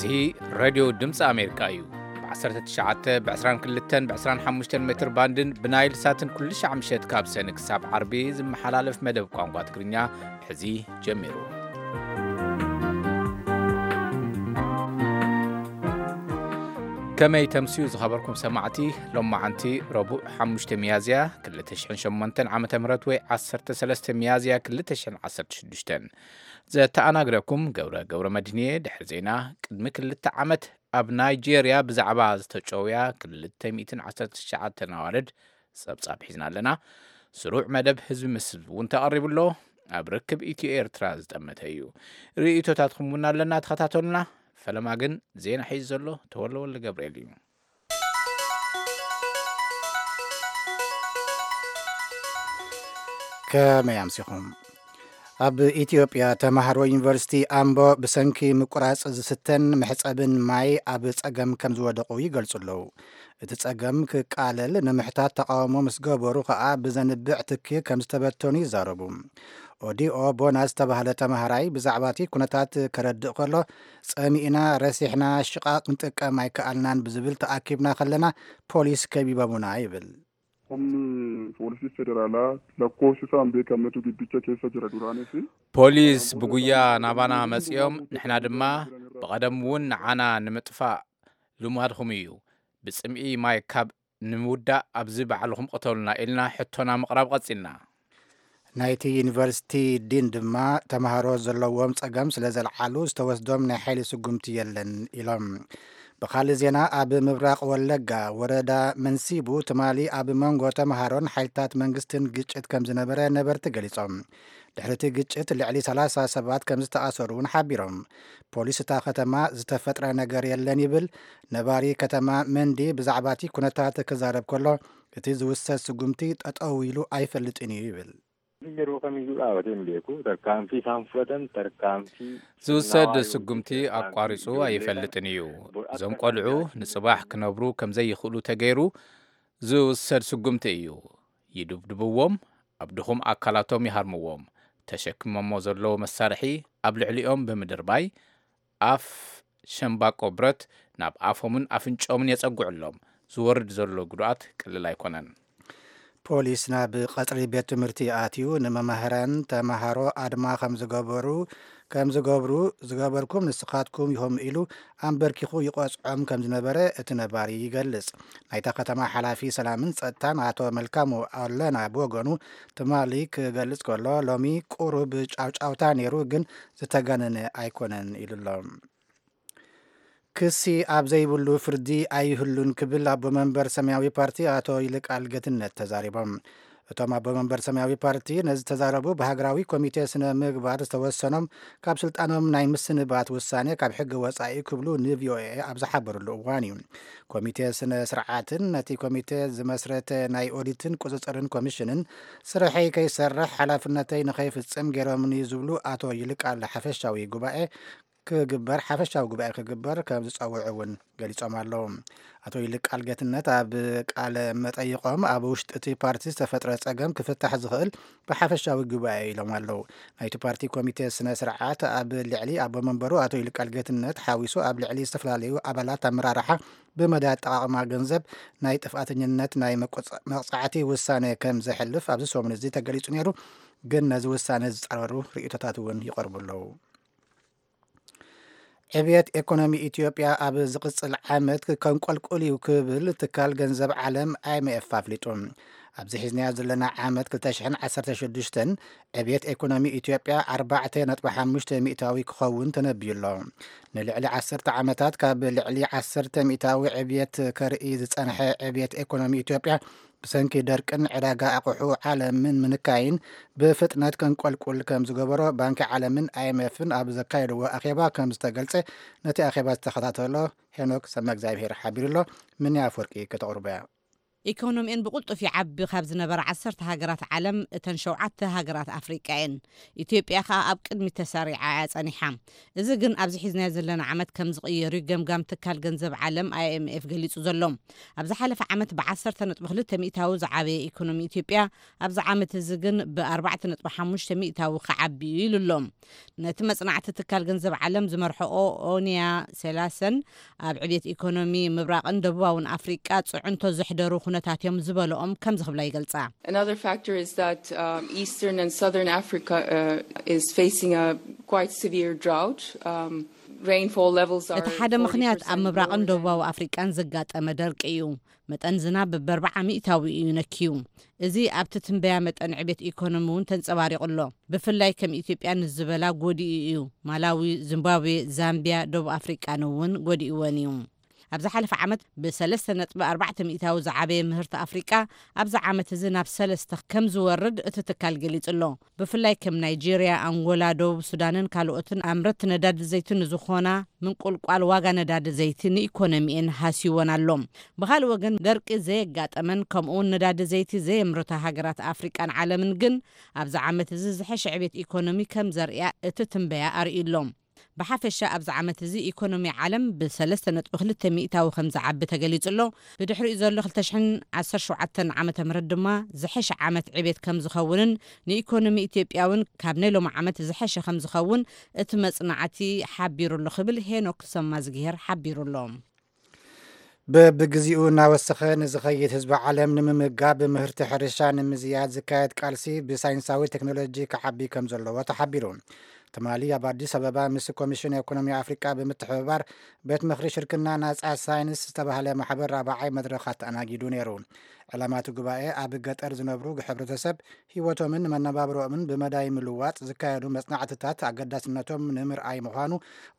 እዚ ሬድዮ ድምፂ ኣሜሪካ እዩ። ብ19፣ ብ22፣ ብ25 ሜትር ባንድን ብናይል ሳትን ኩሉ ሻዕ ምሸት ካብ ሰኒ ክሳብ ዓርቢ ዝመሓላለፍ መደብ ቋንቋ ትግርኛ ሕዚ ጀሚሩ። ከመይ ተምስዩ ዝኸበርኩም ሰማዕቲ? ሎማዓንቲ ረቡዕ ሓሙሽተ ሚያዝያ ክልተ ሽሕን ሸሞንተን ዓመተ ምህረት ወይ ዓሰርተ ሰለስተ ሚያዝያ ክልተ ሽሕን ዓሰርተ ሽዱሽተን። ዘተኣናግደኩም ገብረ ገብረ መድህንየ። ድሕሪ ዜና ቅድሚ ክልተ ዓመት ኣብ ናይጄርያ ብዛዕባ ዝተጨውያ ክልተ ሚእትን ዓሰርተ ትሽዓተን ኣዋልድ ጸብጻብ ሒዝና ኣለና። ስሩዕ መደብ ህዝቢ ምስ ህዝቢ እውን ተቐሪቡ ኣሎ። ኣብ ርክብ ኢትዮ ኤርትራ ዝጠመተ እዩ። ርእይቶታትኩም እውን ኣለና፣ ተኸታተሉና። ፈለማ ግን ዜና ሒዙ ዘሎ ተወልደ ወልደ ገብርኤል እዩ። ከመይ ኣምሲኹም? ኣብ ኢትዮጵያ ተማሃሮ ዩኒቨርሲቲ ኣምቦ ብሰንኪ ምቁራጽ ዝስተን መሕጸብን ማይ ኣብ ጸገም ከም ዝወደቑ ይገልጹ ኣለዉ። እቲ ጸገም ክቃለል ንምሕታት ተቃውሞ ምስ ገበሩ ከኣ ብዘንብዕ ትኪ ከም ዝተበተኑ ይዛረቡ። ኦዲኦ ቦና ዝተባህለ ተማሃራይ ብዛዕባ እቲ ኩነታት ከረድእ ከሎ፣ "ጸሚእና፣ ረሲሕና፣ ሽቓቕ ክንጥቀም ኣይከኣልናን ብዝብል ተኣኪብና ከለና ፖሊስ ከቢቦምና" ይብል። Humni poolisii federaalaa lakkoofsi isaa hin beekamnetu giddicha keessa jira duraanis. ፖሊስ ብጉያ ናባና መጺኦም፣ ንሕና ድማ ብቐደም እውን ንዓና ንምጥፋእ ልማድኹም እዩ። ብጽምኢ ማይ ካብ ንምውዳእ ኣብዚ ባዕልኹም ቅተሉና ኢልና ሕቶና ምቕራብ ቀጺልና። ናይቲ ዩኒቨርሲቲ ዲን ድማ ተምሃሮ ዘለዎም ጸገም ስለ ዘልዓሉ ዝተወስዶም ናይ ሓይሊ ስጉምቲ የለን ኢሎም። ብኻልእ ዜና፣ ኣብ ምብራቕ ወለጋ ወረዳ መንሲቡ ትማሊ ኣብ መንጎ ተምሃሮን ሓይልታት መንግስትን ግጭት ከም ዝነበረ ነበርቲ ገሊጾም። ድሕሪ እቲ ግጭት ልዕሊ ሰላሳ ሰባት ከም ዝተኣሰሩ እውን ሓቢሮም። ፖሊስ እታ ከተማ ዝተፈጥረ ነገር የለን ይብል። ነባሪ ከተማ መንዲ ብዛዕባ እቲ ኩነታት ክዛረብ ከሎ፣ እቲ ዝውሰድ ስጉምቲ ጠጠው ኢሉ ኣይፈልጥን እዩ ይብል። Yeroo kamiyyuu dhaabatee hin beeku. Tarkaanfii isaan fudhatan tarkaanfii ዝውሰድ ስጉምቲ ኣቋሪጹ ኣይፈልጥን እዩ። እዞም ቆልዑ ንጽባሕ ክነብሩ ከም ዘይኽእሉ ተገይሩ ዝውሰድ ስጉምቲ እዩ። ይድብድብዎም፣ ኣብ ድኹም ኣካላቶም ይሃርምዎም፣ ተሸኪሞሞ ዘለዉ መሳርሒ ኣብ ልዕሊኦም ብምድርባይ ኣፍ ሸምባቆ ብረት ናብ ኣፎምን ኣፍንጮምን የጸግዑሎም። ዝወርድ ዘሎ ጉድኣት ቀሊል ኣይኮነን። ፖሊስ ናብ ቀጽሪ ቤት ትምህርቲ ኣትዩ ንመማህራን ተማሃሮ ኣድማ ከም ዝገበሩ፣ ከም ዝገብሩ፣ ዝገበርኩም ንስኻትኩም ኢኹም ኢሉ ኣንበርኪኹ ይቆጽዖም ከም ዝነበረ እቲ ነባሪ ይገልጽ። ናይታ ከተማ ሓላፊ ሰላምን ጸጥታን ኣቶ መልካሙ ኣለና ብወገኑ ትማሊ ክገልጽ ከሎ፣ "ሎሚ ቁሩብ ጫውጫውታ ነይሩ፣ ግን ዝተጋነነ ኣይኮነን" ኢሉ ኣሎ። ክሲ ኣብ ዘይብሉ ፍርዲ ኣይህሉን ክብል ኣቦ መንበር ሰማያዊ ፓርቲ ኣቶ ይልቃል ጌትነት ተዛሪቦም። እቶም ኣቦ መንበር ሰማያዊ ፓርቲ ነዚ ተዛረቡ ብሃገራዊ ኮሚቴ ስነ ምግባር ዝተወሰኖም ካብ ስልጣኖም ናይ ምስንባት ውሳኔ ካብ ሕጊ ወጻኢ ክብሉ ንቪኦኤ ኣብ ዝሓበሩሉ እዋን እዩ። ኮሚቴ ስነ ስርዓትን ነቲ ኮሚቴ ዝመስረተ ናይ ኦዲትን ቁጽጽርን ኮሚሽንን ስርሐይ ከይሰርሕ ሓላፍነተይ ንኸይፍጽም ገይሮምኒ ዝብሉ ኣቶ ይልቃል ሓፈሻዊ ጉባኤ ክግበር፣ ሓፈሻዊ ጉባኤ ክግበር ከም ዝጸውዑ እውን ገሊጾም ኣለዉ። ኣቶ ይልቃል ጌትነት ኣብ ቃለ መጠይቖም፣ ኣብ ውሽጢ እቲ ፓርቲ ዝተፈጥረ ጸገም ክፍታሕ ዝኽእል ብሓፈሻዊ ጉባኤ ኢሎም ኣለዉ። ናይቲ ፓርቲ ኮሚቴ ስነ ስርዓት ኣብ ልዕሊ ኣቦ መንበሩ ኣቶ ይልቃል ጌትነት ሓዊሱ ኣብ ልዕሊ ዝተፈላለዩ ኣባላት ኣመራርሓ ብመዳ ኣጠቓቕማ ገንዘብ ናይ ጥፍኣተኝነት ናይ መቆጻ-፣ መቕጻዕቲ ውሳነ ከም ዘሕልፍ ኣብዚ ሰሙን እዚ ተገሊጹ ነይሩ። ግን ነዚ ውሳነ ዝጻረሩ ርእይቶታት እውን ይቐርቡ ኣለዉ። ዕብየት ኤኮኖሚ ኢትዮጵያ ኣብ ዝቕጽል ዓመት ከንቆልቁል እዩ ክብል ትካል ገንዘብ ዓለም ኣይ ኤም ኤፍ ኣፍሊጡ። ኣብዚ ሒዝናዮ ዘለና ዓመት ክልተ ሽሕን ዓሰርተ ሽዱሽተን ዕብየት ኤኮኖሚ ኢትዮጵያ ኣርባዕተ ነጥቢ ሓሙሽተ ሚእታዊ ክኸውን ተነብዩ ኣሎ። ንልዕሊ ዓሰርተ ዓመታት ካብ ልዕሊ ዓሰርተ ሚእታዊ ዕብየት ከርኢ ዝጸንሐ ዕብየት ኤኮኖሚ ኢትዮጵያ ብሰንኪ ደርቅን ዕዳጋ ኣቑሑ ዓለምን ምንካይን ብፍጥነት ከንቆልቁል ከም ዝገበሮ ባንኪ ዓለምን ኣይ ኤም ኤፍን ኣብ ዘካየድዎ ኣኼባ ከም ዝተገልጸ ነቲ ኣኼባ ዝተኸታተሎ ሄኖክ ሰመእግዚኣብሄር ሓቢሩ ኣሎ። ምንያ ኣፈወርቂ ከተቕርቦ እያ። ኢኮኖሚኤን ብቕልጡፍ ይዓቢ ካብ ዝነበራ ዓሰርተ ሃገራት ዓለም እተን ሸውዓተ ሃገራት ኣፍሪቃ እየን። ኢትዮጵያ ከኣ ኣብ ቅድሚት ተሰሪዓ እያ ጸኒሓ። እዚ ግን ኣብዚ ሒዝናዮ ዘለና ዓመት ከም ዝቕየር እዩ ገምጋም ትካል ገንዘብ ዓለም ኣይ ኤም ኤፍ ገሊጹ ዘሎ። ኣብ ዝሓለፈ ዓመት ብ ዓሰርተ ነጥቢ ክልተ ሚእታዊ ዝዓበየ ኢኮኖሚ ኢትዮጵያ፣ ኣብዚ ዓመት እዚ ግን ብ ኣርባዕተ ነጥቢ ሓሙሽተ ሚእታዊ ክዓቢ እዩ ኢሉ ኣሎ። ነቲ መጽናዕቲ ትካል ገንዘብ ዓለም ዝመርሐኦ ኦኒያ ሴላሰን፣ ኣብ ዕብየት ኢኮኖሚ ምብራቕን ደቡባውን ኣፍሪቃ ጽዕንቶ ዘሕደሩ ኩነታት እዮም ዝበለኦም ከምዚ ክብላ ይገልጻ። Another factor is that um, Eastern and Southern Africa uh, is facing a quite severe drought. Um, rainfall levels are እቲ ሓደ ምኽንያት ኣብ ምብራቕን ደቡባዊ ኣፍሪቃን ዘጋጠመ ደርቂ እዩ። መጠን ዝናብ በርባዓ ሚእታዊ እዩ ነክዩ። እዚ ኣብቲ ትንበያ መጠን ዕቤት ኢኮኖሚ እውን ተንጸባሪቑ ኣሎ። ብፍላይ ከም ኢትዮጵያ ንዝበላ ጎዲኡ እዩ። ማላዊ፣ ዚምባብዌ፣ ዛምቢያ፣ ደቡብ ኣፍሪቃን እውን ጎዲእወን እዩ። ኣብ ዝሓለፈ ዓመት ብሰለስተ ነጥቢ ኣርባዕተ ሚእታዊ ዝዓበየ ምህርቲ ኣፍሪቃ ኣብዚ ዓመት እዚ ናብ ሰለስተ ከም ዝወርድ እቲ ትካል ገሊጹ ኣሎ። ብፍላይ ከም ናይጄርያ፣ ኣንጎላ፣ ደቡብ ሱዳንን ካልኦትን ኣምረቲ ነዳዲ ዘይቲ ንዝኾና ምንቁልቋል ዋጋ ነዳዲ ዘይቲ ንኢኮኖሚኤን ሃስይወን ኣሎ። ብኻልእ ወገን ደርቂ ዘየጋጠመን ከምኡውን ነዳዲ ዘይቲ ዘየምርታ ሃገራት ኣፍሪቃን ዓለምን ግን ኣብዚ ዓመት እዚ ዝሐሸ ዕቤት ኢኮኖሚ ከም ዘርእያ እቲ ትንበያ ኣርእዩ ኣሎ። ብሓፈሻ ኣብዚ ዓመት እዚ ኢኮኖሚ ዓለም ብ ሰለስተ ነጥቢ ክልተ ሚእታዊ ከም ዝዓቢ ተገሊጹ ኣሎ። ብድሕሪኡ ዘሎ ክልተ ሽሕን ዓሰርተ ሸውዓተን ዓመተ ምህረት ድማ ዝሐሸ ዓመት ዕቤት ከም ዝኸውንን ንኢኮኖሚ ኢትዮጵያ እውን ካብ ናይ ሎሚ ዓመት ዝሐሸ ከም ዝኸውን እቲ መጽናዕቲ ሓቢሩ ኣሎ ክብል ሄኖክ ሰማዝግሄር ሓቢሩ ኣሎ። በብግዚኡ እናወሰኸ ንዝኸይድ ህዝቢ ዓለም ንምምጋብ ምህርቲ ሕርሻ ንምዝያድ ዝካየድ ቃልሲ ብሳይንሳዊ ቴክኖሎጂ ክዓቢ ከም ዘለዎ ተሓቢሩ። ትማሊ ኣብ ኣዲስ ኣበባ ምስ ኮሚሽን ኢኮኖሚ ኣፍሪቃ ብምትሕብባር ቤት ምኽሪ ሽርክና ናፃ ሳይንስ ዝተባህለ ማሕበር ራብዓይ መድረኽ ኣተኣናጊዱ ነይሩ። ዕላማ እቲ ጉባኤ ኣብ ገጠር ዝነብሩ ሕብረተሰብ ህይወቶምን መነባብሮኦምን ብመዳይ ምልዋጥ ዝካየዱ መጽናዕትታት ኣገዳስነቶም ንምርኣይ ምዃኑ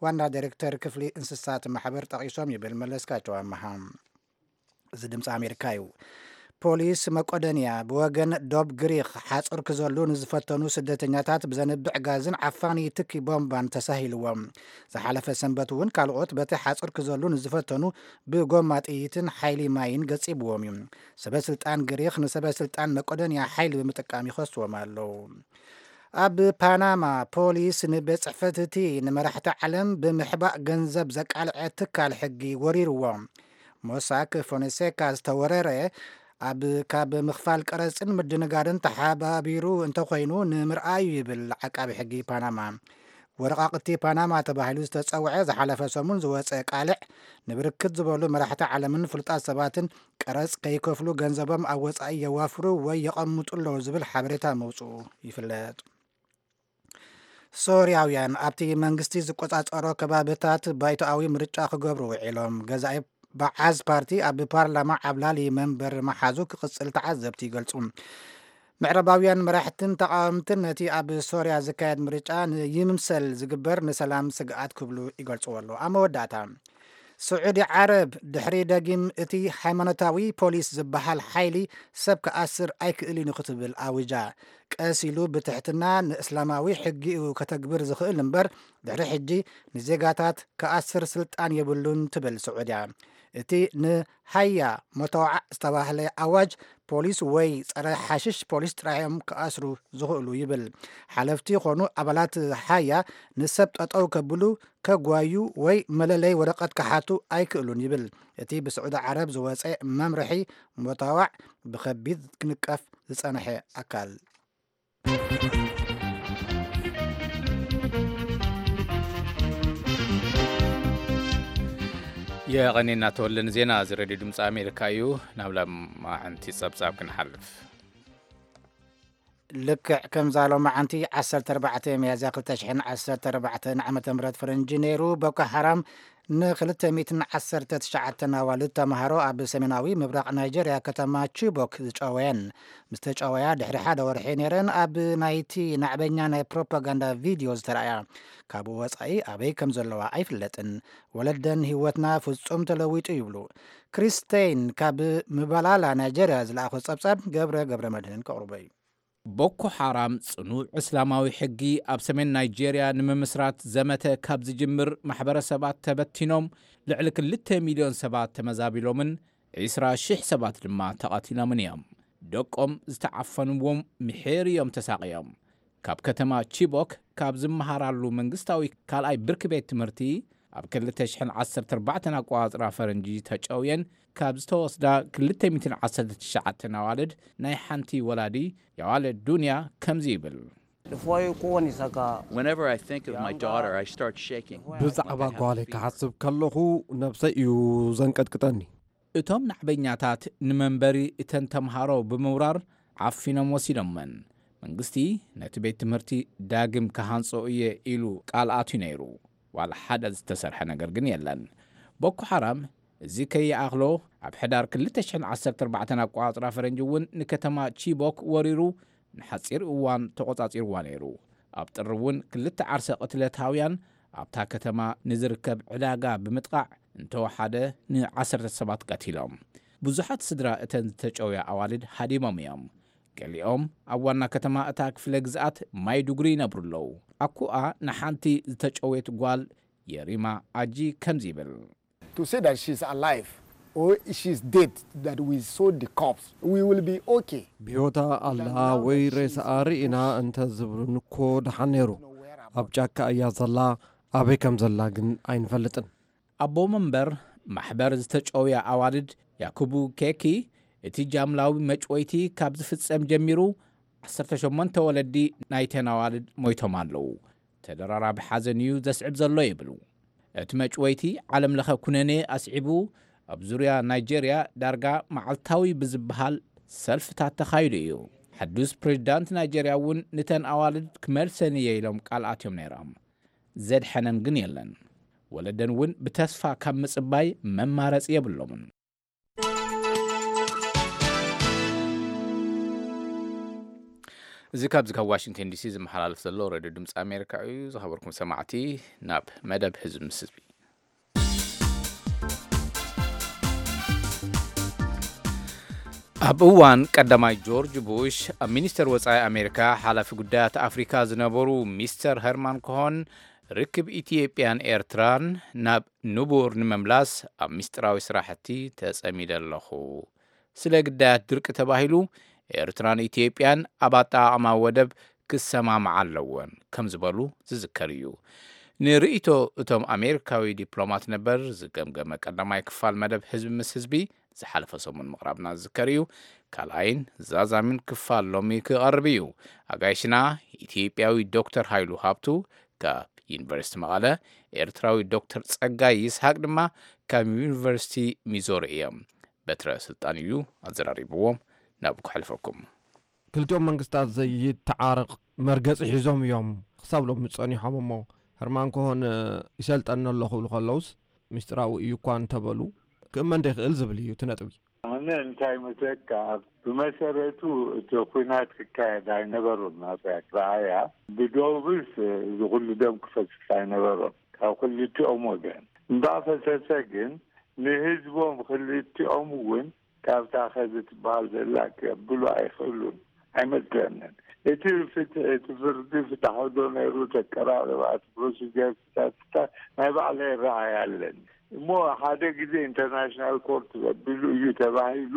ዋና ዳይሬክተር ክፍሊ እንስሳት ማሕበር ጠቒሶም ይብል መለስካቸው ኣመሃ። እዚ ድምፂ ኣሜሪካ እዩ። ፖሊስ መቆደንያ ብወገን ዶብ ግሪክ ሓፁር ክዘሉ ንዝፈተኑ ስደተኛታት ብዘንብዕ ጋዝን ዓፋኒ ትኪ ቦምባን ተሳሂልዎም። ዝሓለፈ ሰንበት እውን ካልኦት በቲ ሓፁር ክዘሉ ንዝፈተኑ ብጎማ ጥይትን ሓይሊ ማይን ገፂብዎም እዩ። ሰበ ስልጣን ግሪክ ንሰበ ስልጣን መቆደንያ ሓይሊ ብምጥቃም ይኸስዎም ኣለዉ። ኣብ ፓናማ ፖሊስ ንቤት ጽሕፈት እቲ ንመራሕቲ ዓለም ብምሕባእ ገንዘብ ዘቃልዐ ትካል ሕጊ ወሪርዎ። ሞሳክ ፎንሴካ ዝተወረረ ኣብ ካብ ምኽፋል ቀረጽን ምድንጋርን ተሓባቢሩ እንተኾይኑ ንምርኣዩ ይብል ዓቃቢ ሕጊ ፓናማ። ወረቓቕቲ ፓናማ ተባሂሉ ዝተጸውዐ ዝሓለፈ ሰሙን ዝወጸ ቃልዕ ንብርክት ዝበሉ መራሕቲ ዓለምን ፍሉጣት ሰባትን ቀረጽ ከይከፍሉ ገንዘቦም ኣብ ወጻኢ የዋፍሩ ወይ የቐምጡ ኣለዉ ዝብል ሓበሬታ መውጽኡ ይፍለጥ። ሶርያውያን ኣብቲ መንግስቲ ዝቆጻጸሮ ከባብታት ባይቶኣዊ ምርጫ ክገብሩ ውዒሎም። ገዛኢ በዓዝ ፓርቲ ኣብ ፓርላማ ዓብላሊ መንበር መሓዙ ክቕጽል ተዓዘብቲ ይገልጹ። ምዕራባውያን መራሕትን ተቓወምትን ነቲ ኣብ ሶርያ ዝካየድ ምርጫ ንይምምሰል ዝግበር ንሰላም ስግኣት ክብሉ ይገልጽዎ ኣለዉ። ኣብ መወዳእታ ስዑዲ ዓረብ ድሕሪ ደጊም እቲ ሃይማኖታዊ ፖሊስ ዝበሃል ሓይሊ ሰብ ክኣስር ኣይክእልን እዩ ክትብል ኣውጃ። ቀስ ኢሉ ብትሕትና ንእስላማዊ ሕጊ እዩ ከተግብር ዝኽእል እምበር ድሕሪ ሕጂ ንዜጋታት ክኣስር ስልጣን የብሉን ትብል ስዑድያ። እቲ ንሃያ መተዋዕ ዝተባህለ ኣዋጅ ፖሊስ ወይ ጸረ ሓሽሽ ፖሊስ ጥራይ እዮም ክኣስሩ ዝኽእሉ ይብል። ሓለፍቲ ይኾኑ ኣባላት ሃያ ንሰብ ጠጠው ከብሉ ከጓዩ ወይ መለለይ ወረቐት ክሓቱ ኣይክእሉን ይብል። እቲ ብስዑዲ ዓረብ ዝወፀ መምርሒ መተዋዕ ብኸቢድ ክንቀፍ ዝፀንሐ ኣካል። የቐኔና ተወልን ዜና እዚ ሬድዮ ድምፂ ኣሜሪካ እዩ። ናብ ሎማዓንቲ ፀብፃብ ክንሓልፍ። ልክዕ ከምዛ ሎማዓንቲ ዓሰርተ ኣርባዕተ ሚያዝያ ክልተ ሽሕን ዓሰርተ ኣርባዕተን ዓመተ ምህረት ፈረንጂ ነይሩ። ቦኮ ሓራም ንክልተ ሚእትን ዓሰርተ ትሽዓተን ኣዋልድ ተምሃሮ ኣብ ሰሜናዊ ምብራቕ ናይጀርያ ከተማ ቺቦክ ዝጨወየን ምስ ተጨወያ ድሕሪ ሓደ ወርሒ ነይረን ኣብ ናይቲ ናዕበኛ ናይ ፕሮፓጋንዳ ቪድዮ ዝተረኣያ። ካብኡ ወጻኢ ኣበይ ከም ዘለዋ ኣይፍለጥን። ወለደን ህይወትና ፍጹም ተለዊጡ ይብሉ። ክሪስቴይን ካብ ምባላላ ናይጀርያ ዝለኣኾ ጸብጻብ ገብረ ገብረ መድህን ከቕርቦ እዩ። ቦኮ ሓራም ጽኑዕ እስላማዊ ሕጊ ኣብ ሰሜን ናይጄርያ ንምምስራት ዘመተ ካብ ዝጅምር ማሕበረሰባት ተበቲኖም ልዕሊ ክልተ ሚልዮን ሰባት ተመዛቢሎምን ዒስራ ሽሕ ሰባት ድማ ተቐቲሎምን እዮም። ደቆም ዝተዓፈንዎም ምሒር እዮም ተሳቕዮም። ካብ ከተማ ቺቦክ ካብ ዝመሃራሉ መንግስታዊ ካልኣይ ብርኪ ቤት ትምህርቲ ኣብ ክልተ ሽሕን ዓሰርተ ኣርባዕተን ኣቆጻጽራ ፈረንጂ ተጨውየን ካብ ዝተወስዳ ክልተ ሚእትን ዓሰርተ ትሽዓተን ኣዋልድ ናይ ሓንቲ ወላዲ የዋልድ ዱንያ ከምዚ ይብል። Whenever I think of my daughter, I start shaking. ብዛዕባ ጓለይ ክሓስብ ከለኹ ነብሰይ እዩ ዘንቀጥቅጠኒ። እቶም ናዕበኛታት ንመንበሪ እተን ተምሃሮ ብምውራር ዓፊኖም ወሲዶመን። መንግስቲ ነቲ ቤት ትምህርቲ ዳግም ክሃንጾ እየ ኢሉ ቃል ኣትዩ ነይሩ። ዋላ ሓደ ዝተሰርሐ ነገር ግን የለን። ቦኮ ሓራም እዚ ከይኣኽሎ ኣብ ሕዳር ክልተ ሽሕን ዓሰርተ ኣርባዕተን ኣቆጻጽራ ፈረንጂ እውን ንከተማ ቺቦክ ወሪሩ ንሓጺር እዋን ተቖጻጺርዋ ነይሩ። ኣብ ጥሪ እውን ክልተ ዓርሰ ቅትለታውያን ኣብታ ከተማ ንዝርከብ ዕዳጋ ብምጥቓዕ እንተወሓደ ንዓሰርተ ሰባት ቀቲሎም። ብዙሓት ስድራ እተን ዝተጨውያ ኣዋልድ ሃዲሞም እዮም። ገሊኦም ኣብ ዋና ከተማ እታ ክፍለ ግዝኣት ማይዱጉሪ ይነብሩ ኣለዉ። ኣኩኣ ንሓንቲ ዝተጨውየት ጓል የሪማ ኣጂ ከምዚ ይብል። To say that she's alive or she's dead, that we saw the corpse, we will be okay. ብህይወታ ኣላ ወይ ሬሳኣ ርኢና እንተ ዝብሉኒ እኮ ደሓን ነይሩ። ኣብ ጫካ እያ ዘላ፣ ኣበይ ከም ዘላ ግን ኣይንፈልጥን። ኣቦ መንበር ማሕበር ዝተጨውያ ኣዋልድ ያኩቡ ኬኪ፣ እቲ ጃምላዊ መጭወይቲ ካብ ዝፍጸም ጀሚሩ ዓሰርተ ሸሞንተ ወለዲ ናይተን ኣዋልድ ሞይቶም ኣለዉ። ተደራራቢ ሓዘን እዩ ዘስዕብ ዘሎ ይብሉ። እቲ መጭወይቲ ዓለም ለኸ ኩነኔ ኣስዒቡ ኣብ ዙርያ ናይጄርያ ዳርጋ መዓልታዊ ብዝበሃል ሰልፍታት ተኻይዱ እዩ። ሓዱስ ፕሬዚዳንት ናይጄርያ እውን ንተን ኣዋልድ ክመልሰን እየ ኢሎም ቃል ኣትዮም ነይሮም። ዘድሐነን ግን የለን። ወለደን እውን ብተስፋ ካብ ምጽባይ መማረጺ የብሎምን። እዚ ካብዚ ካብ ዋሽንግተን ዲሲ ዝመሓላለፍ ዘሎ ሬድዮ ድምፂ ኣሜሪካ እዩ። ዝኸበርኩም ሰማዕቲ፣ ናብ መደብ ህዝቢ ምስ ህዝቢ። ኣብ እዋን ቀዳማይ ጆርጅ ቡሽ ኣብ ሚኒስተር ወጻኢ ኣሜሪካ ሓላፊ ጉዳያት ኣፍሪካ ዝነበሩ ሚስተር ሄርማን ኮሆን ርክብ ኢትዮጵያን ኤርትራን ናብ ንቡር ንምምላስ ኣብ ሚስጥራዊ ስራሕቲ ተጸሚደ ኣለኹ። ስለ ግዳያት ድርቂ ተባሂሉ ኤርትራን ኢትዮጵያን ኣብ ኣጠቓቕማ ወደብ ክሰማምዓ ኣለወን ከም ዝበሉ ዝዝከር እዩ። ንርእይቶ እቶም ኣሜሪካዊ ዲፕሎማት ነበር ዝገምገመ ቀዳማይ ክፋል መደብ ህዝቢ ምስ ህዝቢ ዝሓለፈ ሰሙን ምቕራብና ዝዝከር እዩ። ካልኣይን ዛዛሚን ክፋል ሎሚ ክቐርብ እዩ። ኣጋይሽና ኢትዮጵያዊ ዶክተር ሃይሉ ሃብቱ ካብ ዩኒቨርሲቲ መቐለ፣ ኤርትራዊ ዶክተር ጸጋይ ይስሃቅ ድማ ካብ ዩኒቨርሲቲ ሚዞሪ እዮም። በትረ ስልጣን እዩ ኣዘራሪብዎም። ናብ ከሕልፈኩም። ክልቲኦም መንግስታት ዘይተዓረቕ መርገጺ ሒዞም እዮም ክሳብ ሎሚ ጸኒሖም እሞ፣ ሄርማን ኮሆን ይሰልጠኒ ኣለኹ ክብሉ ከለውስ፣ ምስጢራዊ እዩ እኳ እንተበሉ፣ ክእመን ዶ ይኽእል ዝብል እዩ እቲ ነጥቢ። ኣነ እንታይ መስለካ፣ ብመሰረቱ እቲ ኲናት ክካየድ ኣይነበሮን። ናብያ ረኣያ ብዶብስ እዚ ኩሉ ደም ክፈስስ ኣይነበሮን ካብ ክልቲኦም ወገን። እምበኣር ፈሰሰ ግን ንህዝቦም ክልቲኦም እውን ካብታ ኸዚ ትበሃል ዘላ ከብሉ ኣይኽእሉን ኣይመስለንን። እቲ ፍትሒ፣ እቲ ፍርዲ ፍትሓዊ ዶ ነይሩ፣ ተቀራረባ፣ እቲ ፕሮሲጀር፣ ፍታት ፍታት ናይ ባዕለይ ረኣይ ኣለኒ። እሞ ሓደ ግዜ ኢንተርናሽናል ኮርት ዘብሉ እዩ ተባሂሉ፣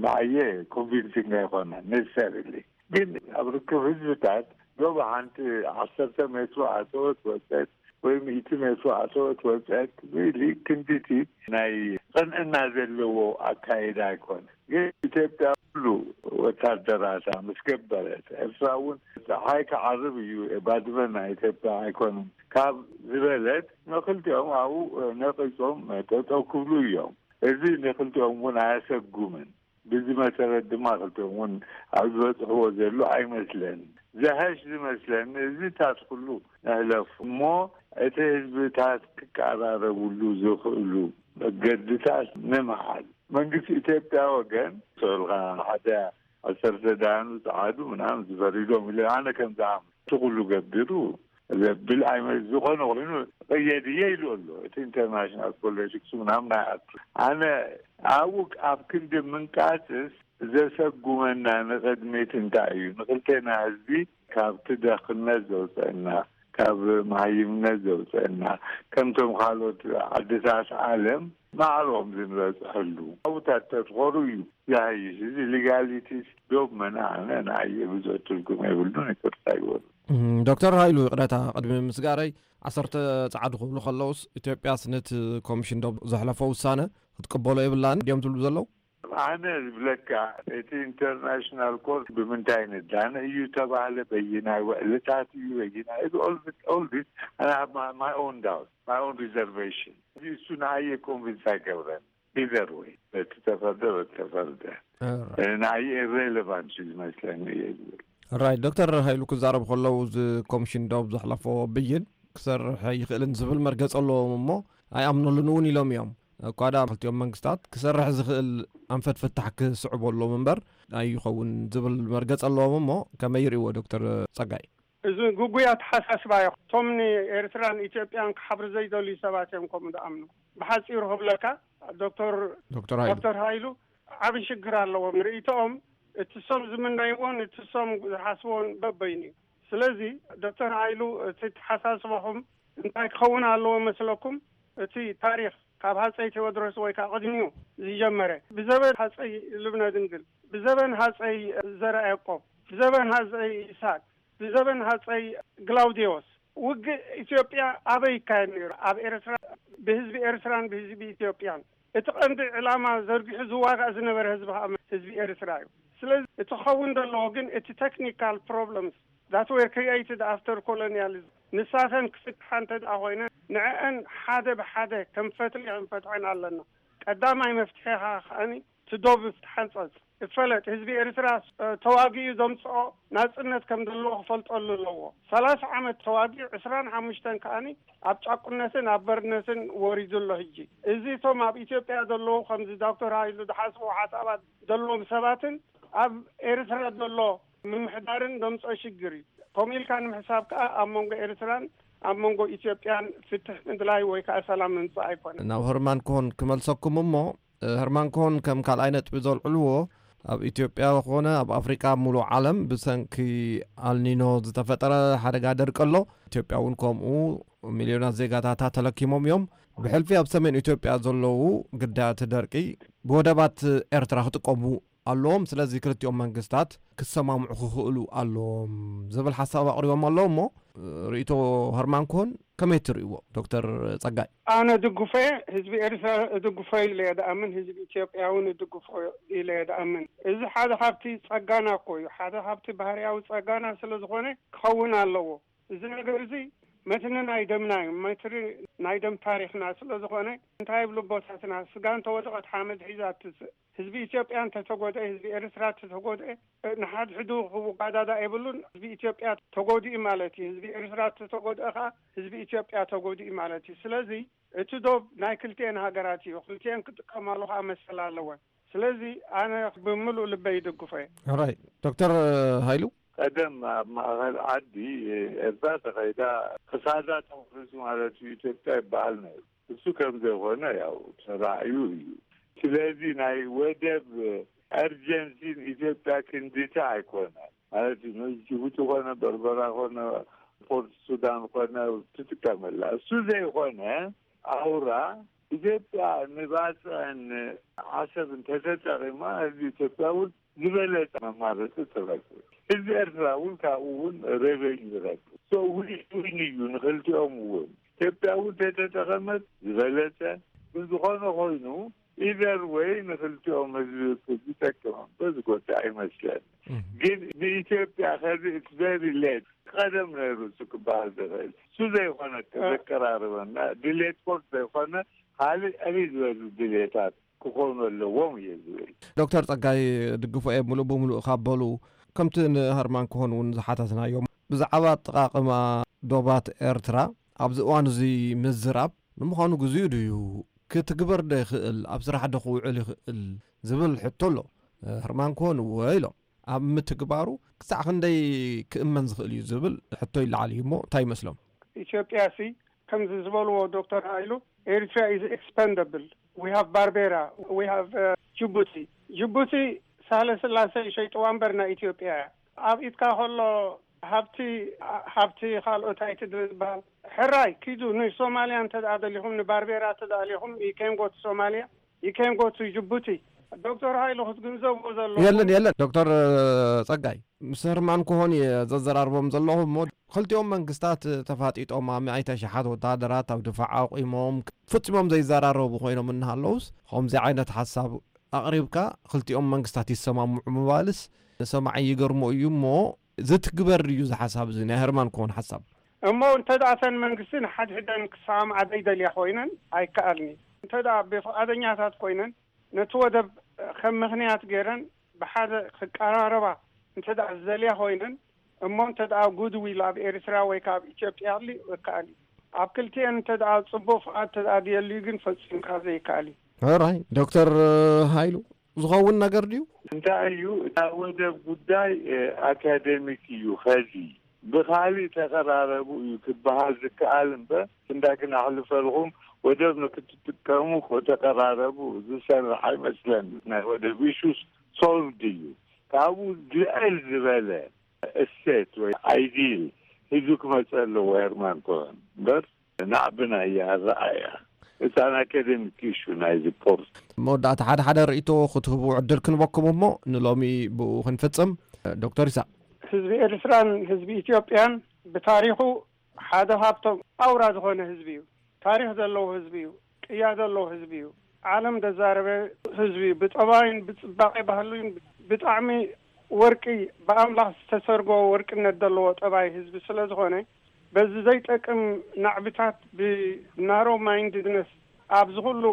ንዓየ ኮንቪንሲንግ ኣይኮነን ነሰሰርሊ። ግን ኣብ ርክብ ህዝብታት ዶብ ሓንቲ ዓሰርተ ሜትሮ ኣተወት ወፀት ወይ ሚእቲ ሜትሮ ኣተወት ወፀት ሪሊ ክንዲቲ ናይ ቅንዕና ዘለዎ ኣካይዳ ኣይኮነ። ግን ኢትዮጵያ ኩሉ ወታደራታ ምስ ገበረት፣ ኤርትራ እውን ፀሓይ ክዓርብ እዩ፣ ባድመ ናይ ኢትዮጵያ ኣይኮነን ካብ ዝበለት፣ ንክልቲኦም ኣብኡ ነቂጾም ጠጠው ክብሉ እዮም። እዚ ንክልቲኦም እውን ኣያሰጉምን። ብዚ መሰረት ድማ ክልቲኦም እውን ኣብ ዝበፅሕዎ ዘሎ ኣይመስለን። ዘሀሽ ዝመስለኒ እዚታት ኩሉ ንሕለፉ እሞ እቲ ህዝብታት ክቀራረብሉ ዝኽእሉ መገድታት ንምሓዝ። መንግስቲ ኢትዮጵያ ወገን ሰልካ ሓደ ዓሰርተ ዳያኑ ጸዓዱ ምናምን ዝፈሪዶም ኢለ ኣነ ከም ዝኣምን እቲ ኩሉ ገቢሩ ዘብል ኣይመ-፣ ዝኾነ ኮይኑ ቀየድየ ኢሉ ኣሎ። እቲ ኢንተርናሽናል ፖለቲክስ ምናምን ኣይኣቱ። ኣነ ኣብኡ ኣብ ክንዲ ምንቃጽስ ዘሰጉመና ንቕድሚት እንታይ እዩ? ንክልቴና ህዝቢ ካብቲ ደኽነት ዘውፀአና፣ ካብ መሃይምነት ዘውፀአና፣ ከምቶም ካልኦት ዓድታት ዓለም ማዕሮም ዝንበፅሐሉ ኣብታት ተትኾሩ እዩ። ያይስ እዚ ሊጋሊቲስ ዶብ መናነ ናየ ብዙሕ ትርጉም የብሉን። ይቅርታ ይበሉ። ዶክተር ሃይሉ፣ ይቕረታ ቅድሚ ምስጋረይ፣ ዓሰርተ ጸዓዱ ክብሉ ከለውስ ኢትዮጵያስ ነቲ ኮሚሽን ዶብ ዘሕለፎ ውሳነ ክትቅበሎ የብላን ድዮም ትብሉ ዘለዉ? ኣነ ዝብለካ እቲ ኢንተርናሽናል ኮርት ብምንታይ ንዳነ እዩ ተባህለ፣ በይናይ ውዕልታት እዩ፣ በይናይ all this I have my own doubt, my own reservation። እዚ እሱ ንዓየ ኮንቪንስ ኣይገብረን። ኢዘር ወይ በቲ ተፈርደ በቲ ተፈርደ ንዓየ ኢሬሌቫንት እዩ ዝመስለኒ እየ ዝብል። ራይት። ዶክተር ሃይሉ ክዛረቡ ከለዉ፣ እዚ ኮሚሽን ዶብ ዘሕለፎ ብይን ክሰርሕ ይኽእልን ዝብል መርገፂ ኣለዎም እሞ ኣይኣምነሉን እውን ኢሎም እዮም። እኳ ደኣ ክልቲኦም መንግስታት ክሰርሕ ዝኽእል ኣንፈት ፍታሕ ክስዕቡ ኣለዎም እምበር ኣይኸውን ዝብል መርገፂ ኣለዎም እሞ ከመይ ይርእዎ ዶክተር ፀጋይ? እዚ ግጉይ ኣተሓሳስባ እዩ። እቶም ንኤርትራን ኢትዮጵያን ክሓብሩ ዘይደልዩ ሰባት እዮም ከምኡ ዝኣምኑ። ብሓጺሩ ክብለካ ዶክተር ዶክተር ሃይሉ ዶክተር ሃይሉ ዓቢ ሽግር ኣለዎም። ርእይቶኦም እቲ እሶም ዝምነይዎን እቲ እሶም ዝሓስቦን በበይኑ እዩ። ስለዚ ዶክተር ሃይሉ እቲ ተሓሳስባኹም እንታይ ክኸውን ኣለዎ መስለኩም? እቲ ታሪኽ ካብ ሃጸይ ቴዎድሮስ ወይ ከዓ ቅድሚኡ ዝጀመረ ብዘበን ሃጸይ ልብነ ድንግል ብዘበን ሃጸይ ዘርዓ ያዕቆብ ብዘበን ሃጸይ ይስሐቅ ብዘበን ሃጸይ ግላውዲዮስ ውግእ ኢትዮጵያ ኣበይ ይካየድ ነይሩ? ኣብ ኤርትራ ብህዝቢ ኤርትራን ብህዝቢ ኢትዮጵያን እቲ ቀንዲ ዕላማ ዘርጊሑ ዝዋጋእ ዝነበረ ህዝቢ ከዓ ህዝቢ ኤርትራ እዩ። ስለዚ እቲ ክኸውን ዘለዎ ግን እቲ technical problems that were created after colonialism ንሳተን ክፍትሓ እንተ ደኣ ኮይነ ንዕአን ሓደ ብሓደ ከም ፈትሊ ክንፈትሐን ኣለና። ቀዳማይ መፍትሒ ከዓ ከዓኒ እቲ ዶብ ይትሓንጸጽ ይፈለጥ። ህዝቢ ኤርትራ ተዋጊኡ ዘምጽኦ ናጽነት ከም ዘለዎ ክፈልጠሉ ኣለዎ። ሰላሳ ዓመት ተዋጊኡ ዕስራን ሓሙሽተን ከኣኒ ኣብ ጫቁነትን ኣብ በርነትን ወሪዱ ኣሎ። ሕጂ እዚ እቶም ኣብ ኢትዮጵያ ዘለዉ ከምዚ ዶክተር ሃይሉ ዝሓስቡ ሓሳባት ዘለዎም ሰባትን ኣብ ኤርትራ ዘሎ ምምሕዳርን ዘምጽኦ ሽግር እዩ። ከምኡ ኢልካ ንምሕሳብ ከኣ ኣብ መንጎ ኤርትራን ኣብ መንጎ ኢትዮጵያን ፍትሕ ምድላይ ወይ ከኣ ሰላም ምምጻእ ኣይኮነን። ናብ ሀርማን ኮሆን ክመልሰኩም እሞ፣ ሀርማን ኮሆን ከም ካልኣይ ነጥቢ ዘልዕልዎ፣ ኣብ ኢትዮጵያ ኮነ ኣብ ኣፍሪቃ፣ ኣብ ሙሉእ ዓለም ብሰንኪ ኣልኒኖ ዝተፈጠረ ሓደጋ ደርቂ ኣሎ። ኢትዮጵያ እውን ከምኡ ሚልዮናት ዜጋታታ ተለኪሞም እዮም። ብሕልፊ ኣብ ሰሜን ኢትዮጵያ ዘለዉ ግዳያት ደርቂ ብወደባት ኤርትራ ክጥቀሙ ኣለዎም። ስለዚ ክልቲኦም መንግስታት ክሰማምዑ ክኽእሉ ኣለዎም ዝብል ሓሳብ ኣቕሪቦም ኣለዉ። እሞ ርእይቶ ሀርማን ኮሆን ከመይ ትርእይዎ ዶክተር ጸጋይ? ኣነ ድግፎ እየ። ህዝቢ ኤርትራ እድግፎ ኢለ እየ ድኣምን፣ ህዝቢ ኢትዮጵያ እውን እድግፎ ኢለ እየ ድኣምን። እዚ ሓደ ካብቲ ጸጋና እኮ እዩ፣ ሓደ ካብቲ ባህርያዊ ጸጋና ስለ ዝኾነ ክኸውን ኣለዎ። እዚ ነገር እዚ መትኒ ናይ ደምና እዩ፣ መትኒ ናይ ደም ታሪኽና ስለ ዝኾነ እንታይ ይብሉ ኣቦታትና፣ ስጋ እንተወደቐት ሓመድ ሒዛ ትስእ። ህዝቢ ኢትዮጵያ እንተተጎድአ፣ ህዝቢ ኤርትራ እንተተጎድአ፣ ንሓድሕዱ ክወዳዳእ የብሉን። ህዝቢ ኢትዮጵያ ተጎዲኡ ማለት እዩ። ህዝቢ ኤርትራ እንተተጎድአ ከዓ ህዝቢ ኢትዮጵያ ተጎዲኡ ማለት እዩ። ስለዚ እቲ ዶብ ናይ ክልቲኤን ሃገራት እዩ። ክልቲኤን ክጥቀማሉ ከዓ መሰል ኣለወን። ስለዚ ኣነ ብምሉእ ልበይ ይድግፎ እየ። ኦራይት። ዶክተር ሃይሉ? ቀደም ኣብ ማእኸል ዓዲ ኤርትራ ተኸይዳ ክሳዳ ተቑሪጹ ማለት እዩ ኢትዮጵያ ይበሃል ነይሩ። እሱ ከም ዘይኮነ ያው ተራእዩ እዩ። ስለዚ ናይ ወደብ urgency ን ኢትዮጵያ ክንድቲ ኣይኮነን ማለት እዩ። ጅቡቲ ኮነ፣ በርበራ ኮነ፣ ፖርት ሱዳን ኮነ ትጥቀመላ። እሱ ዘይኮነ ኣውራ ኢትዮጵያ ንባጽዕን ዓሰብ እንተተጠቒማ ህዝቢ ኢትዮጵያ እውን ዝበለጸ መማረፂ ትረክብ። ህዝቢ ኤርትራ እውን ካብኡ እውን ሬቨኝ ይረክብ። So win win እዩ ንክልቲኦም እውን። ኢትዮጵያ እውን ተተጠቐመት ዝበለጸ። ግን ዝኾነ ኮይኑ ኢዘር ወይ ንክልቲኦም ህዝቢ ዝጠቅም እምበር ዝጎድእ ኣይመስለን። ግን ንኢትዮጵያ ከዚ it's very late ቀደም ነይሩ እሱ ክበሃል ዝኽእል እሱ ዘይኮነ ዘቀራርበና ድሌት ኮርት ዘይኮነ ካልእ ዕብይ ዝበሉ ድሌታት ክኾኑ ኣለዎም እየ ዝብል። ዶክተር ጸጋይ ድግፎ እየ ምሉእ ብምሉእ ካብ በሉ፣ ከምቲ ንሀርማን ክሆን እውን ዝሓተትናዮም ብዛዕባ ኣጠቓቕማ ዶባት ኤርትራ ኣብዚ እዋን እዚ ምዝራብ ንምዃኑ ግዜኡ ድዩ? ክትግበር ዶ ይኽእል? ኣብ ስራሕ ዶ ክውዕል ይኽእል? ዝብል ሕቶ ኣሎ። ህርማን ክሆን እወ ኢሎም። ኣብ ምትግባሩ ክሳዕ ክንደይ ክእመን ዝኽእል እዩ ዝብል ሕቶ ይለዓል እዩ እሞ እንታይ ይመስሎም? ኢትዮጵያ ሲ ከምዚ ዝበልዎ ዶክተር ሃይሉ Eritrea is expendable. We have Barbera, we have uh, Djibouti. ጅቡቲ ሳህለ ስላሴ ይሸይጥዋ እምበር ናይ ኢትዮጵያ እያ። ኣብ ኢድካ ከሎ ሃብቲ ሃብቲ ካልኦት ኣይትድበል ዝበሃል ሕራይ ኪዱ ንሶማልያ እንተ ደኣ ደሊኹም፣ ንባርቤራ እንተ ደኣ ደሊኹም፣ you can go to Somalia, you can go to Djibouti. ዶክተር ሃይሉ ክትግንዘብዎ ዘለዎ የለን የለን ዶክተር ጸጋይ፣ ምስ ህርማን ክሆን እየ ዘዘራርቦም ዘለኹ እሞ፣ ክልቲኦም መንግስታት ተፋጢጦም ኣብ ሚእቲ ሸሓት ወታደራት ኣብ ድፋዕ ኣቑሞም ፍጺሞም ዘይዘራረቡ ኮይኖም እናሃለውስ፣ ከምዚ ዓይነት ሓሳብ ኣቕሪብካ ክልቲኦም መንግስታት ይሰማምዑ ምባልስ ንሰማዒ ይገርሞ እዩ እሞ፣ ዝትግበር እዩ እዚ ሓሳብ እዚ ናይ ህርማን ክሆን ሓሳብ? እሞ እንተ ደኣ እተን መንግስቲ ንሓድሕደን ክሰማምዓ ዘይደልያ ኮይነን ኣይከኣልን እዩ። እንተ ደኣ ብፍቓደኛታት ኮይነን ነቲ ወደብ ከም ምኽንያት ገይረን ብሓደ ክቀራረባ እንተ ደኣ ዝደልያ ኮይነን፣ እሞ እንተ ደኣ ጉድዊል ኣብ ኤርትራ ወይ ካብ ኢትዮጵያ ሊ ይከኣል እዩ። ኣብ ክልቲኤን እንተ ደኣ ጽቡቕ ፍቓድ እንተ ደኣ ድየልዩ ግን ፈጺምካ ዘይከኣል እዩ። ሕራይ ዶክተር ሃይሉ፣ ዝኸውን ነገር ድዩ? እንታይ እዩ፣ እታ ወደብ ጉዳይ ኣካደሚክ እዩ። ከዚ ብኻሊእ ተቐራረቡ እዩ ክበሃል ዝከኣል እምበር፣ እንዳ ክነሕልፈልኹም ወደብ ንክትጥቀሙ ተቐራረቡ ዝሰርሕ ኣይመስለኒ። ናይ ወደብ ኢሹስ ሶልቭድ እዩ። ካብኡ ልዕል ዝበለ እሴት ወይ ኣይዲል ሒዙ ክመፅእ ኣለዎ ሄርማን ኮሆን እምበር፣ ናዕብና እያ ኣረኣያ። እታ ናይ ኣካደሚክ ኢሹ ናይዚ ፖርት። መወዳእታ ሓደ ሓደ ርእይቶ ክትህቡ ዕድል ክንበኩም እሞ ንሎሚ ብኡ ክንፍጽም። ዶክተር ይስሐቅ። ህዝቢ ኤርትራን ህዝቢ ኢትዮጵያን ብታሪኹ ሓደ ካብቶም ኣውራ ዝኾነ ህዝቢ እዩ። ታሪኽ ዘለዎ ህዝቢ እዩ። ቅያ ዘለዎ ህዝቢ እዩ። ዓለም ዘዛረበ ህዝቢ እዩ። ብጠባይን ብጽባቄ ባህሉን ብጣዕሚ ወርቂ፣ ብኣምላኽ ዝተሰርጎ ወርቅነት ዘለዎ ጠባይ ህዝቢ ስለ ዝኾነ፣ በዚ ዘይጠቅም ናዕብታት ብናሮ ማይንድነስ ኣብዚ ኩሉ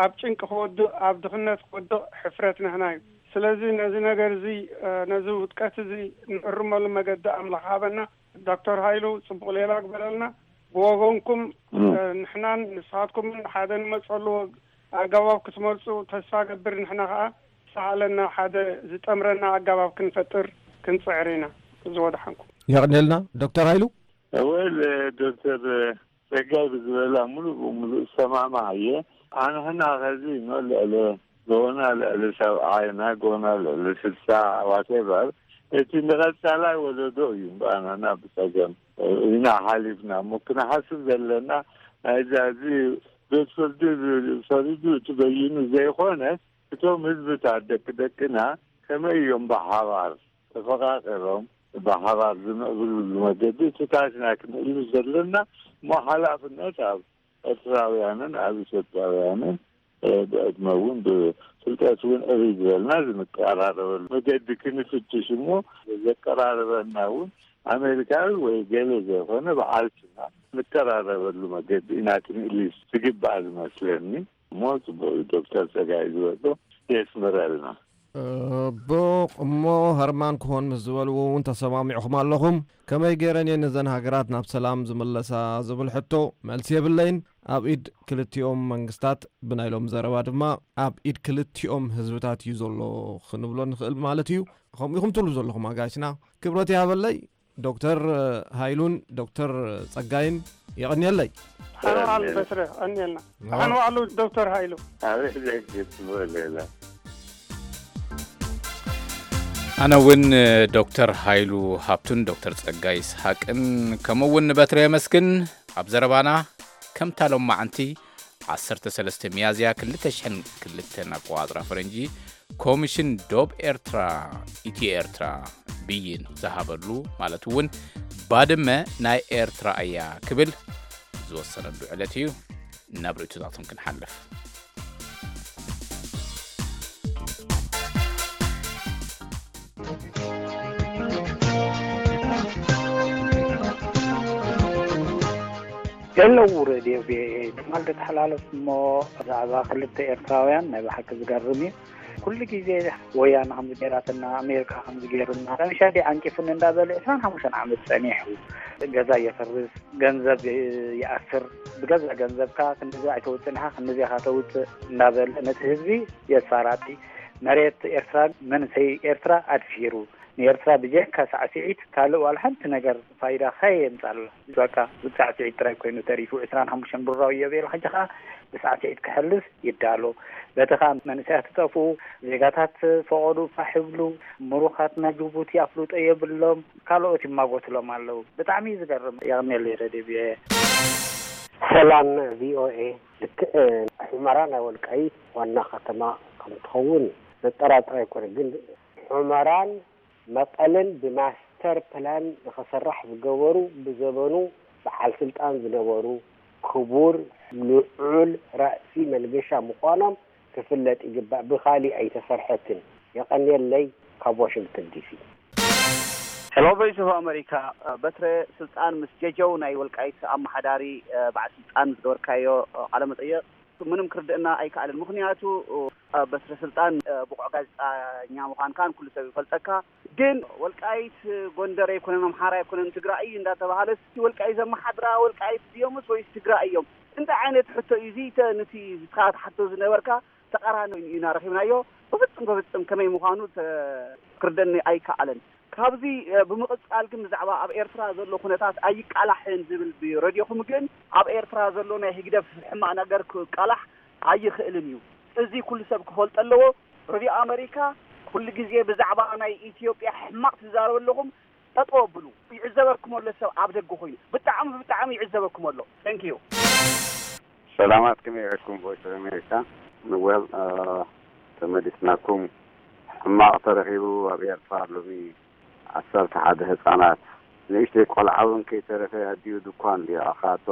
ኣብ ጭንቂ ክወድቕ፣ ኣብ ድኽነት ክወድቕ ሕፍረት ናህና እዩ። ስለዚ ነዚ ነገር እዚ፣ ነዚ ውድቀት እዚ ንእርመሉ መገዲ ኣምላኽ ሃበና። ዶክተር ሃይሉ ጽቡቕ ሌላ ግበረልና። ብወገንኩም ንሕናን ንስኻትኩምን ሓደ ንመጸሉ ኣገባብ ክትመርጹ ተስፋ ገብር። ንሕና ከኣ ሰኣለና ሓደ ዝጠምረና ኣገባብ ክንፈጥር ክንጽዕር ኢና። እዚ ወደሓንኩም። የቕንየልና ዶክተር ሃይሉ። ወል ዶክተር ጸጋይ ብዝበላ ሙሉእ ብሙሉእ እሰማማዕ እየ። ኣንሕና ከዚ ኖ ልዕሊ ጎና ልዕሊ ሰብዓይና ጎና ልዕሊ ስልሳ ዋቴቨር እቲ ንቐጻላይ ወለዶ እዩ እምበኣናና ብጸገም ኢና ሓሊፍና እሞ ክንሓስብ ዘለና ናይዛ እዚ ቤት ፍርዲ ፈሪዱ እቲ በይኑ ዘይኮነ እቶም ህዝብታት ደቂ ደቅና ከመይ እዮም ብሓባር ተፈቃቂሮም ብሓባር ዝምዕብልሉ መገዲ እቲ ታትና ክንእሉ ዘለና እሞ ሓላፍነት ኣብ ኤርትራውያንን ኣብ ኢትዮጵያውያንን ብዕድመ እውን ብፍልጠት እውን ዕብይ ዝበልና ዝንቀራረበሉ መገዲ ክንፍትሽ እሞ ዘቀራርበና እውን ኣሜሪካዊ ወይ ገለ ዘይኮነ ብዓልትና ንቀራረበሉ መገዲ ኢና ክንእልስ ዝግባእ ዝመስለኒ እሞ ፅቡቅ ዶክተር ፀጋይ ዝበሎ የስምረልና። ብቕ እሞ ሀርማን ክሆን ምስ ዝበልዎ እውን ተሰማሚዕኹም ኣለኹም። ከመይ ገይረን እየን ነዘን ሃገራት ናብ ሰላም ዝምለሳ ዝብል ሕቶ መልሲ የብለይን። ኣብ ኢድ ክልቲኦም መንግስታት ብናይ ሎም ዘረባ ድማ ኣብ ኢድ ክልቲኦም ህዝብታት እዩ ዘሎ ክንብሎ ንኽእል ማለት እዩ። ከምኡ ኢኹም ትብሉ ዘለኹም ኣጋይሽና። ክብረት ይሃበለይ። ዶክተር ሃይሉን ዶክተር ጸጋይን የቐንየለይ። ሓንዋዕሉ በስረ ቀንየልና። ሓንዋዕሉ ዶክተር ሃይሉ። ኣበይ ዘግት ወለላ ኣነ እውን ዶክተር ሃይሉ ሃብቱን ዶክተር ጸጋይ ይስሓቅን ከምኡ እውን ንበትረ የመስግን። ኣብ ዘረባና ከምታ ሎማዓንቲ ዓሰርተ ሰለስተ ሚያዝያ ክልተ ሽሕን ክልተን ኣቆጻጽራ ፈረንጂ ኮሚሽን ዶብ ኤርትራ፣ ኢትዮ ኤርትራ ብይን ዝሃበሉ ማለት እውን ባድመ ናይ ኤርትራ እያ ክብል ዝወሰነሉ ዕለት እዩ። ናብ ርእይቶታቶም ክንሓልፍ። ሄለው ሬድዮ ቪኦኤ ትማል ተተሓላለፍ እሞ ብዛዕባ ክልተ ኤርትራውያን ናይ ብሓቂ ዝገርም እዩ። ኩሉ ግዜ ወያነ ከምዚ ገይራትና ኣሜሪካ ከምዚ ገይሩና ረብሻ ዲ ዓንቂፉኒ እንዳበለ ዕስራን ሓሙሽተን ዓመት ጸኒሑ ገዛ የፍርስ፣ ገንዘብ ይኣስር፣ ብገዛ ገንዘብካ ክንዚ ኣይተውፅእን ኢኻ ክንዚ ኢኻ ተውፅእ እንዳበለ ነቲ ህዝቢ የስፋራጢ። መሬት ኤርትራን መንሰይ ኤርትራ ኣድፊሩ፣ ንኤርትራ ብጀካ ሳዕስዒት ካልእ ዋላ ሓንቲ ነገር ፋይዳ ከየምጻላ፣ በቃ ሳዕስዒት ጥራይ ኮይኑ ተሪፉ። ዕስራን ሓሙሽተን ብራው እዮ ቤላ ሕጂ ከኣ ብሳዕስዒት ክሕልፍ ይዳሎ። በቲ ከኣ መንእሰያት ትጠፍኡ፣ ዜጋታት ፈቐዱ ፋሕ ይብሉ፣ ምሩኻትና ጅቡቲ ኣፍልጦ የብሎም፣ ካልኦት ይማጎትሎም ኣለዉ። ብጣዕሚ እዩ ዝገርም። የቐንየለይ ረድዮ ቪኦኤ። ሰላም ቪኦኤ። ልክዕ ሑመራ ናይ ወልቃይት ዋና ከተማ ከም ትኸውን ዘጠራጥር ኣይኮነ። ግን ሑመራን መቐለን ብማስተር ፕላን ንኸሰራሕ ዝገበሩ፣ ብዘበኑ በዓል ስልጣን ዝነበሩ ክቡር ልዑል ራእሲ መንገሻ ምዃኖም ክፍለጥ ይግባእ። ብኻሊእ ኣይተሰርሐትን። የቐንየለይ። ካብ ዋሽንግተን ዲሲ። ሄሎ፣ ቮይስ ኦፍ ኣሜሪካ። በትረ ስልጣን ምስ ጀጀው ናይ ወልቃይት ኣመሓዳሪ በዓል ስልጣን ዝገበርካዮ ቃለ መጠየቕ ምንም ክርድእና ኣይከኣልን። ምኽንያቱ በትረ ስልጣን ብቑዕ ጋዜጠኛ ምዃንካን ኩሉ ሰብ ይፈልጠካ። ግን ወልቃይት ጎንደር ኣይኮነን፣ ኣምሓራ ኣይኮነን፣ ትግራይ እዩ እንዳተባሃለ፣ እስቲ ወልቃይት ዘመሓድራ ወልቃይት ድዮምስ ወይስ ትግራይ እዮም? እንታይ ዓይነት ሕቶ እዩ እዚ? ተ-፣ ንቲ ንስኻ ትሓቶ ዝነበርካ ተቓራኒ ኢና ረኺብናዮ። ብፍጹም፣ ብፍጹም ከመይ ምዃኑ ተ-፣ ክርደኒ ኣይከኣለን። ካብዚ፣ እ፣ ብምቕጻል ግን ብዛዕባ ኣብ ኤርትራ ዘሎ ኩነታት ኣይቃላሕን ዝብል ብረድዮኹም ግን ኣብ ኤርትራ ዘሎ ናይ ህግደፍ ሕማቕ ነገር ክቃላሕ ኣይኽእልን እዩ። እዚ ኩሉ ሰብ ክፈልጦ ኣለዎ። ረድዮ ኣመሪካ ኩሉ ግዜ ብዛዕባ ናይ ኢትዮጵያ ሕማቕ ትዛረቡ ኣለኹም። ጠጠው ኣብሉ። ይዕዘበኩም ኣሎ ሰብ ኣብ ደገ ኮይኑ። ብጣዕሚ፣ ብጣዕሚ ይዕዘበኩም ኣሎ። Thank you። ሰላማት፣ ከመይ ውዒልኩም ቮይስ ኦፍ ኣሜሪካ? ንወል፣ እ፣ ተመሊስናኩም። ሕማቕ ተረኺቡ ኣብ ኤርትራ ሎሚ። ዓሰርተ ሓደ ህጻናት፣ ንእሽተይ ቆልዓ እውን ከይተረፈ ኣዲኡ ድኳን ድዩ ኣኻቶ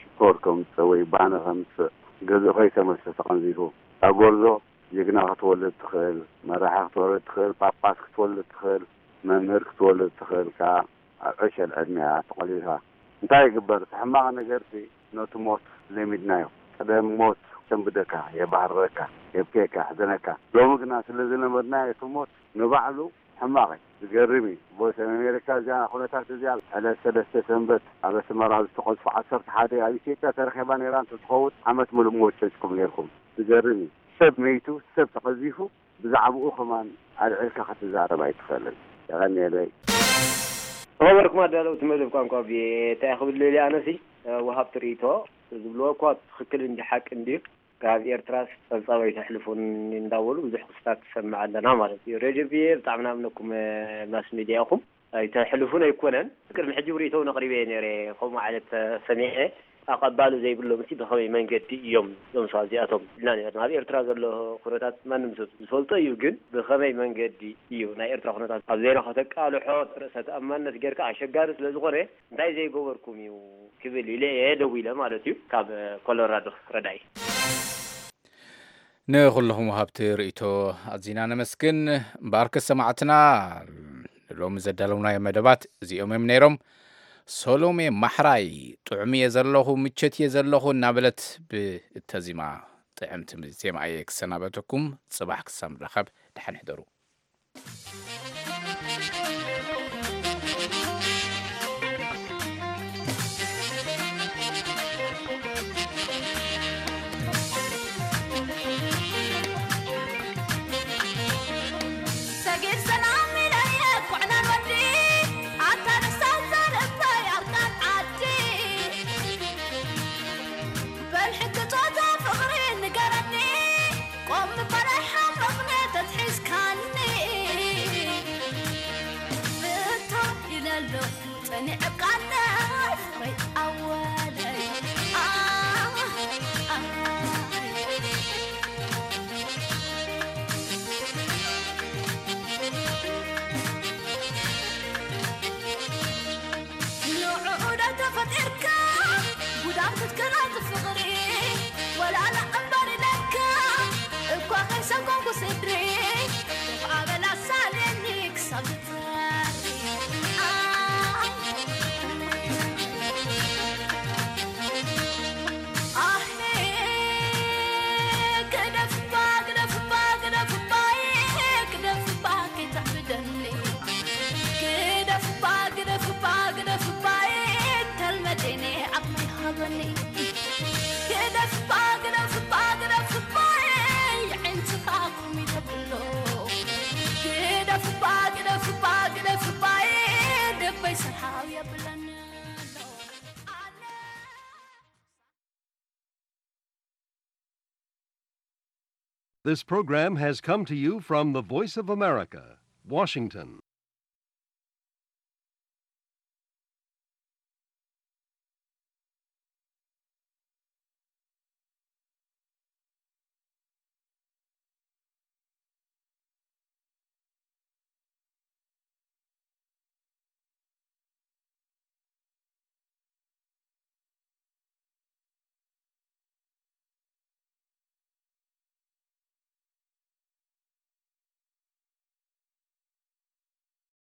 ሽኮር ከምጽእ ወይ ባኒ ከምጽእ ገዝኡ ከይተመልሰ ተቐንዚፉ። እታ ጎርዞ ጅግና ክትወልድ ትኽእል፣ መራሒ ክትወልድ ትኽእል፣ ጳጳስ ክትወልድ ትኽእል፣ መምህር ክትወልድ ትኽእል ከኣ ኣብ ዕሸል ዕድሜኣ ተቖሊፋ። እንታይ ይግበር? እቲ ሕማቕ ነገርሲ ነቲ ሞት ለሚድናዮ። ቀደም ሞት የሰንብደካ፣ የባህርረካ፣ የብክየካ፣ የሕዝነካ። ሎሚ ግና ስለ ዝለመድናዮ እቲ ሞት ንባዕሉ ሕማቕ እዩ። ዝገርም እዩ። ቮይስ ኦፍ ኣሜሪካ እዚኣ ኩነታት እዚኣ ዕለት ሰለስተ ሰንበት ኣብ ኣስመራ ዝተቐዝፉ ዓሰርተ ሓደ ኣብ ኢትዮጵያ ተረኺባ ነይራ እንተትኸውን ዓመት ሙሉእ ምወጨጭኩም ነይርኩም። ዝገርም እዩ። ሰብ መይቱ፣ ሰብ ተቐዚፉ፣ ብዛዕባኡ ከማን ኣልዒልካ ክትዛረብ ኣይትኽእልን። የቐንየለይ። ዝኸበርኩም ኣዳለውቲ መደብ ቋንቋ ቪኦኤ፣ እንታይ ክብል ደልየ ኣነሲ፣ ወሃብቲ ርእይቶ ዝብልዎ እኳ ትኽክል እንዲ ሓቂ እንድዩ። ካብ ኤርትራስ ጸብጻብ ኣይተሕልፉን እንዳበሉ ብዙሕ ክስታት ትሰምዕ ኣለና ማለት እዩ። ሬድዮ ቪኦኤ ብጣዕሚ ናምነኩም፣ እ፣ ማስ ሚድያ ኢኹም። ኣይተሕልፉን ኣይኮነን። ቅድሚ ሕጂ ብርእይቶውን ኣቕሪበ እየ ነይረ። ከምኡ ዓይነት፣ እ፣ ሰሚዐ። ኣቐባሊ ዘይብሎም እቲ ብኸመይ መንገዲ እዮም እዞም ሰባት እዚኣቶም ኢልና ነይርና። ኣብ ኤርትራ ዘሎ ኩነታት ማንም ሰብ ዝፈልጦ እዩ፣ ግን ብኸመይ መንገዲ እዩ ናይ ኤርትራ ኩነታት ኣብ ዜና ከተቃልሖ ርእሰ ተኣማንነት ጌርካ ኣሸጋሪ ስለ ዝኾነ እንታይ ዘይገበርኩም እዩ ክብል ኢለ እየ ደዊለ ማለት እዩ። ካብ ኮሎራዶ ረዳኢ። ንኹልኹም ወሃብቲ ርእይቶ ኣዚና ነመስግን። እምበኣርከስ ሰማዕትና፣ ንሎሚ ዘዳለውናዮ መደባት እዚኦም እዮም ነይሮም። ሶሎሜ ማሕራይ፣ ጥዑም እየ ዘለኹ፣ ምቸት እየ ዘለኹ እናበለት ብእተዚማ ጥዕምቲ ዜማ እየ ክሰናበተኩም። ጽባሕ ክሳብ ንራኸብ፣ ደሓን ሕደሩ። ሰጊድ ሰላም ኢለየ ኩዕናን ወዲ፣ ኣታ ንሳ ዘርባይ ኣርካን ዓዲ። በል ሕጂ ጾታ ፍቕሪ ንገረኒ፣ ቆም ምባል ኣይሓመቕነ ተትሒዝካኒ። ብታ ኢለ ኣለኹ ጸኒዐ ቃልነ ፍቕረይ ኣወለይ። ኣህ፣ ኣህ። ንዕኡ ዶ ተፈጢርካ ጉዳም ክትከላ ፍቕሪ፣ ወላ ንዕምበር ኢለካ እኳ ከይሰጎምኩ ስድሪ፣ ኮፍ ኣበላ ሳልየኒ ክሳብ ዝፈሪ። This program has come to you from the Voice of America, Washington.